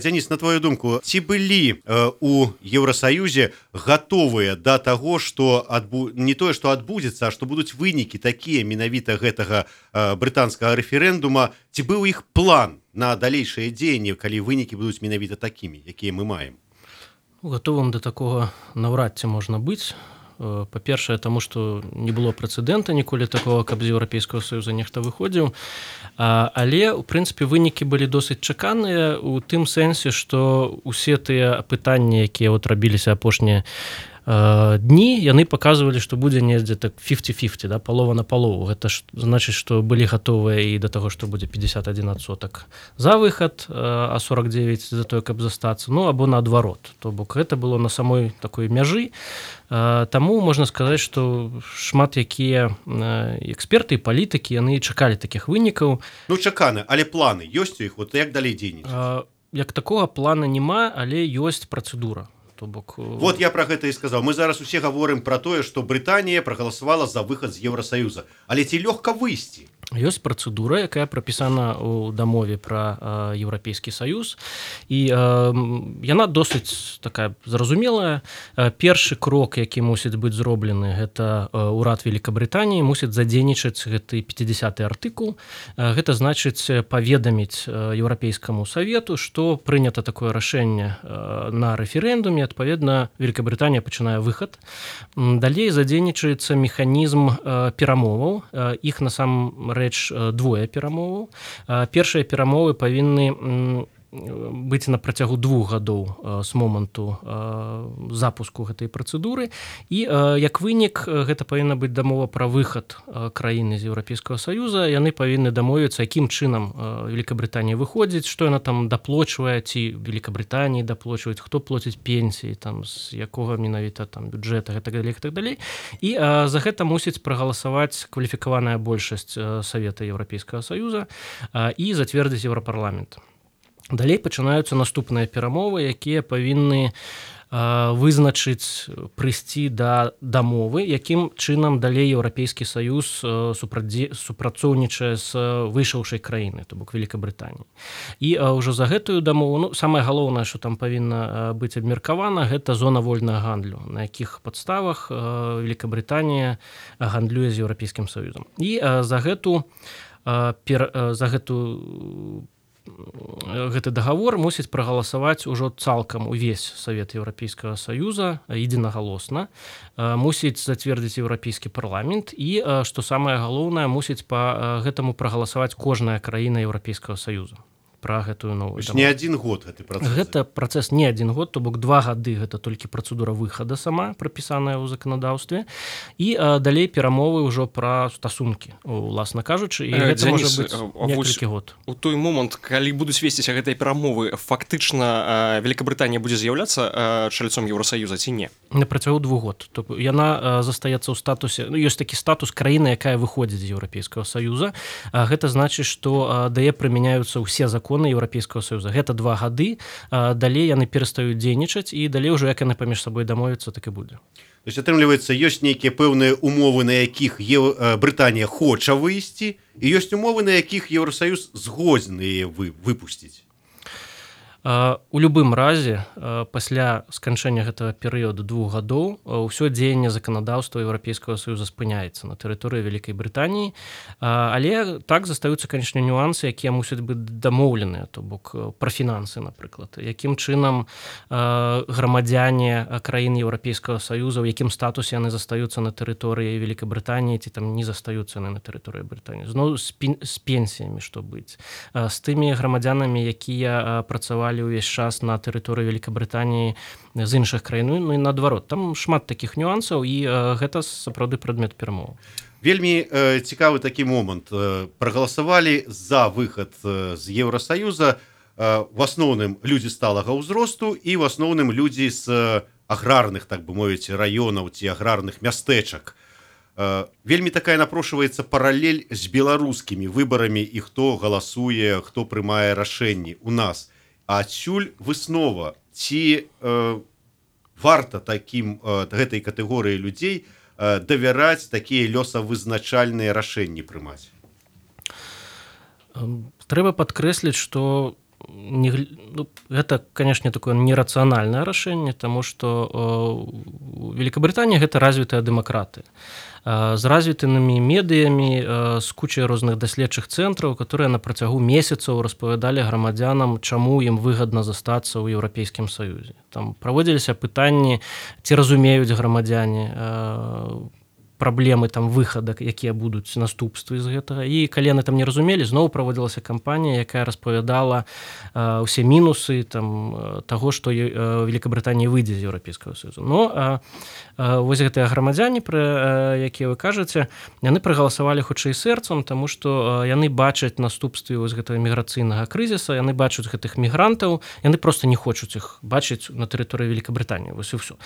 Дзяніс, на твою думку, ці былі у Еўрасаюзе гатовыя да таго, што не тое, што адбудзецца, а што будуць вынікі такія менавіта гэтага брытанскага рэферэндума, ці быў іх план на далейшае дзеянне, калі вынікі будуць менавіта такімі, якія мы маем? Гатовым да такога наўрад ці можна быць. Па-першае, таму што не было прэцэдэнта ніколі такого, каб з Еўрапейскага Саюза нехта выходзіў. Але, у прынцыпе, вынікі былі досыць чаканыя у тым сэнсе, што ўсе тыя пытанні, якія рабіліся апошнія дні, яны паказвалі, што будзе недзе так 50-50, да, палова на палову. Гэта значыць, што былі гатовыя і да таго, што будзе 51% за выхад, а 49% за тое, каб застацца, ну, або наадварот. То бок гэта было на самой такой мяжы. Таму можна сказаць, што шмат якія эксперты і палітыкі, яны чакалі такіх вынікаў. Ну, чаканы, але планы ёсць у іх? Вот як далей дзейнічаць? Як такога плана няма, але ёсць працэдура. Вот я про гэта і сказаў. Мы зараз усе гаворым пра тое, што Брытанія прагаласавала за выхад з Еўрасаюза. Але ці лёгка выйсці? Ёсць працэдура, якая прапісана ў дамове пра Еўрапейскі Саюз, і яна досыць такая зразумелая. Першы крок, які мусіць быць зроблены, гэта ўрад Великабрытаніі мусіць задзейнічаць гэты 50-й артыкул. Гэта значыць паведаміць Еўрапейскаму Савету, што прынята такое рашэнне на рэферэндуме, адпаведна, Великабрытанія пачынае выхад. Далей задзейнічаецца механізм перамоваў. Іх насамрэч двое перамоваў. Першыя перамовы павінны быць на працягу 2 гадоў з моманту запуску гэтай працэдуры. І як вынік, гэта павінна быць дамова пра выхад краіны з Еўрапейскага Саюза. Яны павінны дамовіцца, якім чынам Великабрытанія выходзіць, што яна там даплочвае, ці Великабрытаніі даплочваюць, хто плоціць пенсіі, там, з якога менавіта там бюджэта, гэтак далей. І за гэта мусіць прагаласаваць кваліфікаваная большасць Савета Еўрапейскага Саюза і зацвердзіць Еўрапарламент. Далей пачынаюцца наступныя перамовы, якія павінны вызначыць, прыйсці да дамовы, якім чынам далей Еўрапейскі Саюз супрацоўнічае з выйшаўшай краіны, то бок Великабрытаніі. І ўжо за гэтую дамову, ну, самае галоўнае, што там павінна быць абмеркавана, гэта зона вольнага гандлю, на якіх падставах Великабрытанія гандлюе з Еўрапейскім Саюзам. І за гэты дагавор мусіць прагаласаваць ужо цалкам увесь Савет Еўрапейскага Саюза единагалосна, мусіць зацвердзіць Еўрапейскі парламент і, што самае галоўнае, мусіць па гэтаму прагаласаваць кожная краіна Еўрапейскага Саюза пра гэтую новую дамову. Не адзін год гэты працэс. Гэта працэс не адзін год, то бок 2 гады гэта толькі працэдура выхада сама, прапісаная ў заканадаўстве, і далей перамовы ўжо пра стасункі, уласна кажучы, і гэта можа быць некалькі год. У той момант, калі будуць весціся гэтыя перамовы, фактычна Великабрытанія будзе з'яўляцца чальцом Еўрасаюза ці не? На працягу 2 год. Яна застаецца ў статусе, ну, ёсць такі статус краіны, якая выходзіць з Еўрапейскага Саюза. Гэта значыць, што дае прымяняюцца ўсе законы Еўрапейскага Саюза. Гэта 2 гады, далей яны перастаюць дзейнічаць, і далей ужо як яны паміж сабой дамовяцца, так і будзе. То есть, атрымліваецца, ёсць нейкія пэўныя умовы, на якіх Брытанія хоча выйсці, і ёсць умовы, на якіх Еўрасаюз згодны яе выпусціць. У любым разе, пасля сканчэння гэтага перыяду 2 гадоў, ўсё дзеянне заканадаўства Еўрапейскага Саюза спыняецца на тэрыторыі Вялікай Брытаніі, але так застаюцца, канечне, нюансы, якія мусяць быць дамоўленыя, то бок пра фінансы, напрыклад, якім чынам грамадзяне краін Еўрапейскага Саюза, у якім статусе яны застаюцца на тэрыторыі Вялікай Брытаніі, ці там не застаюцца яны на тэрыторыі Брытаніі. Зноў з пенсіямі што быць, з тымі грамадзянамі, якія працавалі увесь час на тэрыторыі Великабрытаніі з іншых краін, ну і наадварот. Там шмат такіх нюансаў, і гэта сапраўды прадмет перамоў. Вельмі цікавы такі момант. Прагаласавалі за выхад з Еўрасаюза в асноўным людзі сталага ўзросту і в асноўным людзі з аграрных, так бы мовіць, раёнаў ці аграрных мястэчак. Вельмі такая напрошваецца паралель з беларускімі выбарамі, і хто галасуе, хто прымае рашэнні у нас. А адсюль выснова, ці варта гэтай катэгорыі людзей давяраць такія лёсавызначальныя рашэнні прымаць? Трэба падкрэсліць, што гэта, канешне, такое нерацыянальнае рашэнне, таму што Великабрытанія гэта развітая дэмакратыя з развітымі медыямі, з кучай розных даследчых цэнтраў, которые на працягу месяцаў распавядалі грамадзянам, чаму ім выгадна застацца ў Еўрапейскім Саюзе. Там праводзіліся пытанні, ці разумеюць грамадзяне праблемы там выхада, якія будуць наступствы з гэтага. І калі яны там не разумелі, зноў праводзілася кампанія, якая распавядала ўсе мінусы там таго, што Великабрытанія выйдзе з Еўрапейскага Саюза. Но вось гэтыя грамадзяне, пра якія вы кажаце, яны прагаласавалі хутчэй сэрцам, таму што яны бачаць наступствы вось гэтага міграцыйнага крызіса, яны бачаць гэтых мігрантаў, яны проста не хочуць іх бачыць на тэрыторыі Великабрытаніі. Вось і ўсё.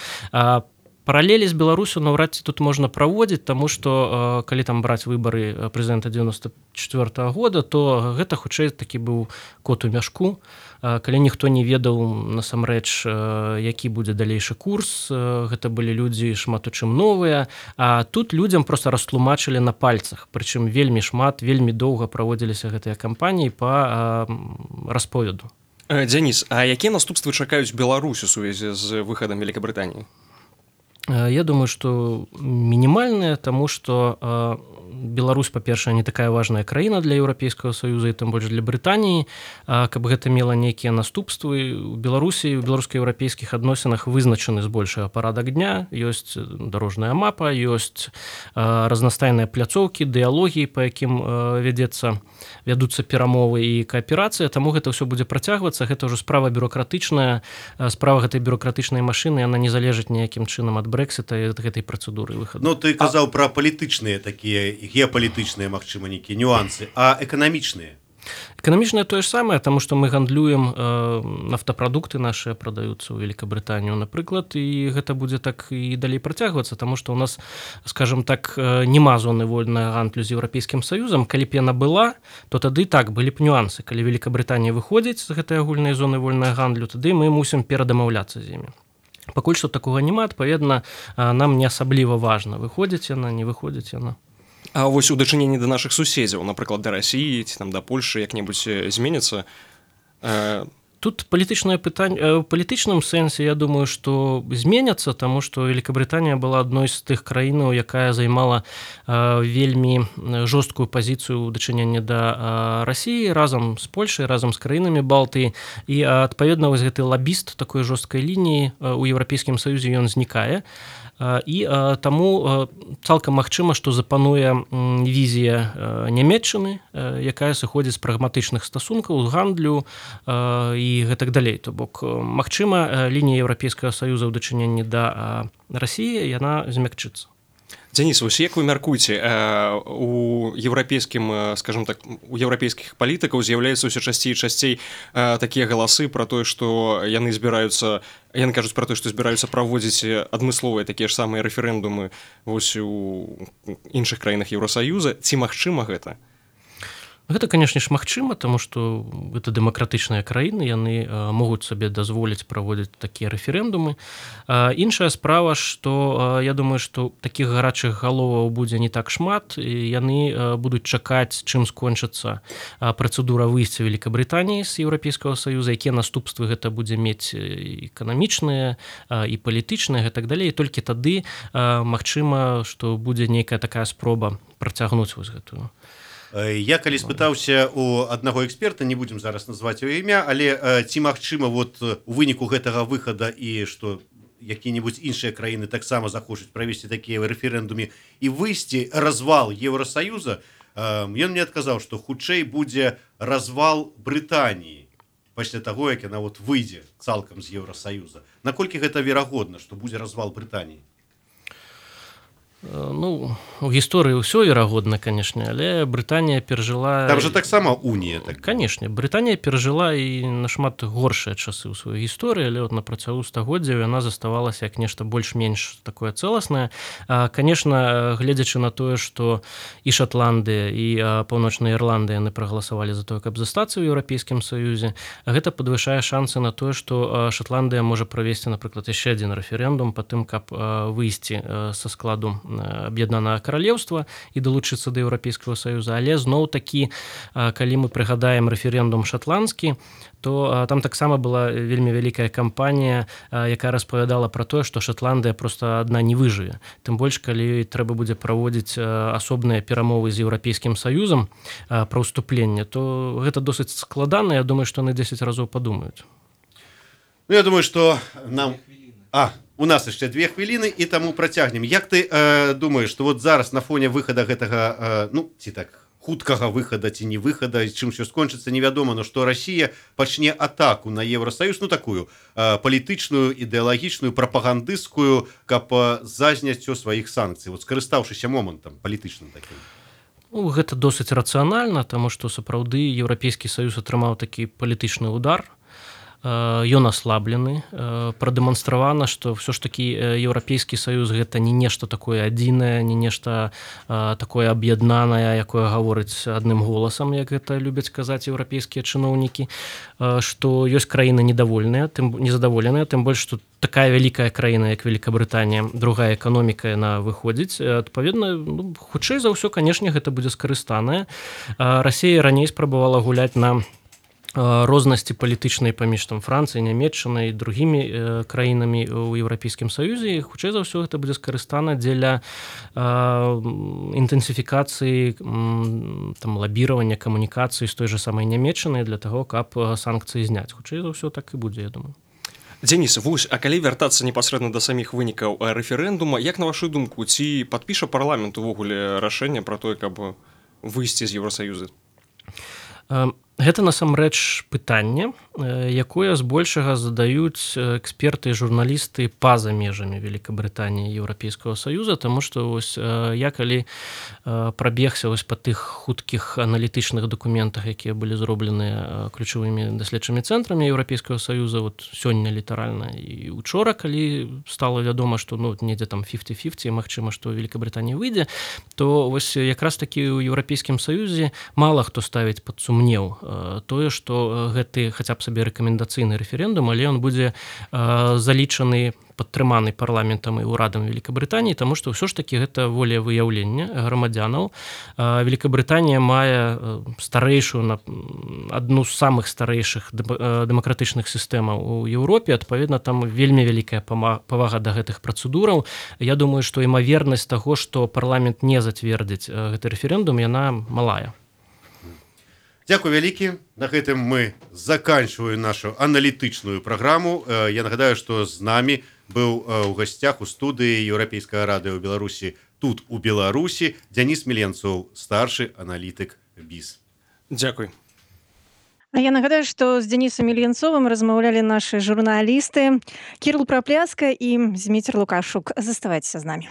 Паралелі з Беларусю наўрад ці тут можна праводзіць, таму што калі там браць выбары прэзідэнта 94-го года, то гэта хутчэй такі быў кот у мяшку, калі ніхто не ведаў насамрэч, які будзе далейшы курс, гэта былі людзі шмат у чым новыя, а тут людзям проста растлумачылі на пальцах, прычым вельмі шмат, вельмі доўга праводзіліся гэтыя кампаніі па расповеду. Дзяніс, а якія наступствы чакаюць Беларусь у сувязі з выхадам Великабрытаніі? Я думаю, што мінімальныя, таму што Беларусь, па-першае, не такая важная краіна для Еўрапейскага Саюза і тым больш для Брытаніі, каб гэта мела нейкія наступствы. У Беларусі, у беларуска-еўрапейскіх адносінах вызначаны збольшага парадак дня, ёсць дарожная мапа, ёсць разнастайныя пляцоўкі, дыялогі, па якім вядуцца перамовы і кааперацыя, таму гэта ўсё будзе працягвацца. Гэта ўжо справа бюрократычная, справа гэтай бюрократычнай машыны, яна не залежыць ніякім чынам ад Брэксіта і ад гэтай працэдуры выхаду. Ну, ты казаў пра палітычныя такія, геапалітычныя, магчыма, нейкія нюансы, а эканамічныя? Эканамічнае тое ж самае, таму што мы гандлюем, нафтапрадукты нашыя прадаюцца ў Великабрытанію, напрыклад, і гэта будзе так і далей працягвацца, таму што ў нас, скажем так, няма зоны вольнага гандлю з Еўрапейскім Саюзам. Калі б яна была, то тады так, былі б нюансы. Калі Великабрытанія выходзіць з гэтай агульнай зоны вольнага гандлю, тады мы мусім перадамаўляцца з імі. Пакуль што такога няма, адпаведна, нам не асабліва важна, выходзіць яна, не выходзіць яна. А вось у дачыненні да нашых суседзяў, напрыклад, да Расіі ці там да Польшы як-небудзь зменіцца? Тут палітычнае пытанне, у палітычным сэнсе, я думаю, што зменяцца, таму што Великабрытанія была адной з тых краінаў, якая займала вельмі жорсткую пазіцыю ў дачыненні да Расіі разам з Польшай, разам з краінамі Балтыі, і адпаведна вось гэты лабіст такой жорсткай лініі ў Еўрапейскім Саюзе ён знікае. І таму цалкам магчыма, што запануе візія Нямецчыны, якая сыходзіць з прагматычных стасункаў, з гандлю і гэтак далей. То бок, магчыма, лінія Еўрапейскага Саюза ў дачыненні да Расіі, яна змякчыцца. Дзяніс, вось як вы мяркуеце, у еўрапейскім, скажем так, у еўрапейскіх палітыкаў з'яўляюцца ўсё часцей і часцей такія галасы пра тое, што яны збіраюцца, яны кажуць пра тое, што збіраюцца праводзіць адмысловыя такія ж самыя рэферэндумы вось у іншых краінах Еўрасаюза. Ці магчыма гэта? Гэта, канешне ж, магчыма, таму што гэта дэмакратычныя краіны, яны могуць сабе дазволіць праводзіць такія рэферэндумы. Іншая справа, што я думаю, што такіх гарачых галоваў будзе не так шмат, і яны будуць чакаць, чым скончыцца працэдура выйсця Великабрытаніі з Еўрапейскага Саюза, якія наступствы гэта будзе мець эканамічныя і палітычныя, гэтак далей. І толькі тады магчыма, што будзе нейкая такая спроба працягнуць вось гэтую. Я калі спытаўся у аднаго эксперта, не будзем зараз назваць яго імя, але ці магчыма вот у выніку гэтага выхада і што якія-небудзь іншыя краіны таксама захочуць правесці такія рэферэндумы і выйсці развал Еўрасаюза, ён мне адказаў, што хутчэй будзе развал Брытаніі пасля таго, як яна вот выйдзе цалкам з Еўрасаюза. Наколькі гэта верагодна, што будзе развал Брытаніі? Ну, у гісторыі ўсё верагодна, канешне, але Брытанія перажыла... Там жа таксама унія. Так. Канешне, Брытанія перажыла і нашмат горшыя часы ў сваёй гісторыі, але на працягу стагоддзяў яна заставалася як нешта больш-менш такое цэласнае. Канешне, гледзячы на тое, што і Шатландыя, і Паўночная Ірландыя яны прагаласавалі за тое, каб застацца ў Еўрапейскім Саюзе, гэта падвышае шансы на тое, што Шатландыя можа правесці, напрыклад, яшчэ адзін рэферэндум па тым, каб выйсці са складу аб'яднанага каралеўства і далучыцца да еўрапейскага саюза, але зноў такі, калі мы прыгадаем рэферэндум шатландскі, то там таксама была вельмі вялікая кампанія, якая распавядала пра тое, што Шатландыя проста адна не выжыве. Тым больш, калі трэба будзе праводзіць асобныя перамовы з еўрапейскім саюзам пра ўступленне, то гэта досыць складана. Я думаю, што яны 10 разоў падумаюць. Ну, я думаю, что нам... У нас яшчэ 2 хвіліны, і таму працягнем. Як ты думаеш, што вот зараз на фоне выхада гэтага, ці так, хуткага выхада ці не выхада, чым ўсё скончыцца, невядома, но што Расія пачне атаку на Еўрасаюз, такую палітычную, ідэалагічную, прапагандысцкую, каб зазняццё сваіх санкцый, вот скарыстаўшыся момантам палітычным такім. Гэта досыць рацыянальна, таму што сапраўды Еўрапейскі саюз атрымаў такі палітычны удар. Ён аслаблены, прадэманстравана, што ўсё ж такі еўрапейскі саюз гэта не нешта такое адзінае, не нешта такое аб'яднанае, якое гаворыць адным голасам, як гэта любяць казаць еўрапейскія чыноўнікі, што ёсць краіны незадаволеныя, тым больш, што такая вялікая краіна, як Великабрытанія, другая эканоміка, яна выходзіць. Адпаведна, хутчэй за ўсё, канешне, гэта будзе скарыстанае. Расія раней спрабавала гуляць на рознасці палітычнай паміж Францыяй, Нямецчынай і другімі краінамі ў Еўрапейскім саюзе, і хутчэй за ўсё гэта будзе скарыстана дзеля інтэнсіфікацыі лабіравання камунікацыі з той жа самай Нямецчынай для таго, каб санкцыі зняць. Хутчэй за ўсё так і будзе, я думаю. Дзеніс, а калі вяртацца непасрэдна да саміх вынікаў рэферэндума, як на вашу думку, ці падпіша парламент увогуле рашэнне пра тое, каб выйсці з Еўрасаюза? Гэта насамрэч пытанне, якое збольшага задаюць эксперты і журналісты па-за межамі Великабрытаніі і Еўрапейскага саюза, таму што я калі прабегся па тых хуткіх аналітычных дакументах, якія былі зроблены ключавымі даследчымі цэнтрамі Еўрапейскага саюза, сёння літаральна і учора, калі стала вядома, што недзе 50-50, магчыма, што Великабрытанія выйдзе, то якраз такі ў Еўрапейскім саюзе мала хто ставіць пад сумнеў тое, што гэты хаця б сабе рэкамендацыйны рэферэндум, але ён будзе залічаны, падтрыманы парламентам і ўрадам Великабрытаніі, таму што ўсё ж такі гэта волевыяўленне грамадзянаў. Великабрытанія мае старэйшую, адну з самых старэйшых дэмакратычных сістэмаў у Еўропе, адпаведна, там вельмі вялікая павага да гэтых працэдураў. Я думаю, што імавернасць таго, што парламент не зацвердзіць гэты рэферэндум, яна малая. Дзякуй вялікі. На гэтым мы заканчиваем нашу аналітычную праграму. Я нагадаю, што з намі быў у гасцях у студыі Еўрапейскага радыё ў Беларусі, тут у Беларусі, Дзяніс Міленцоў, старшы аналітык БІС. Дзякуй. А я нагадаю, што з Дзянісам Міленцовым размаўлялі нашы журналісты Кірыл Прапляска і Зміцер Лукашук. Заставайцеся з намі.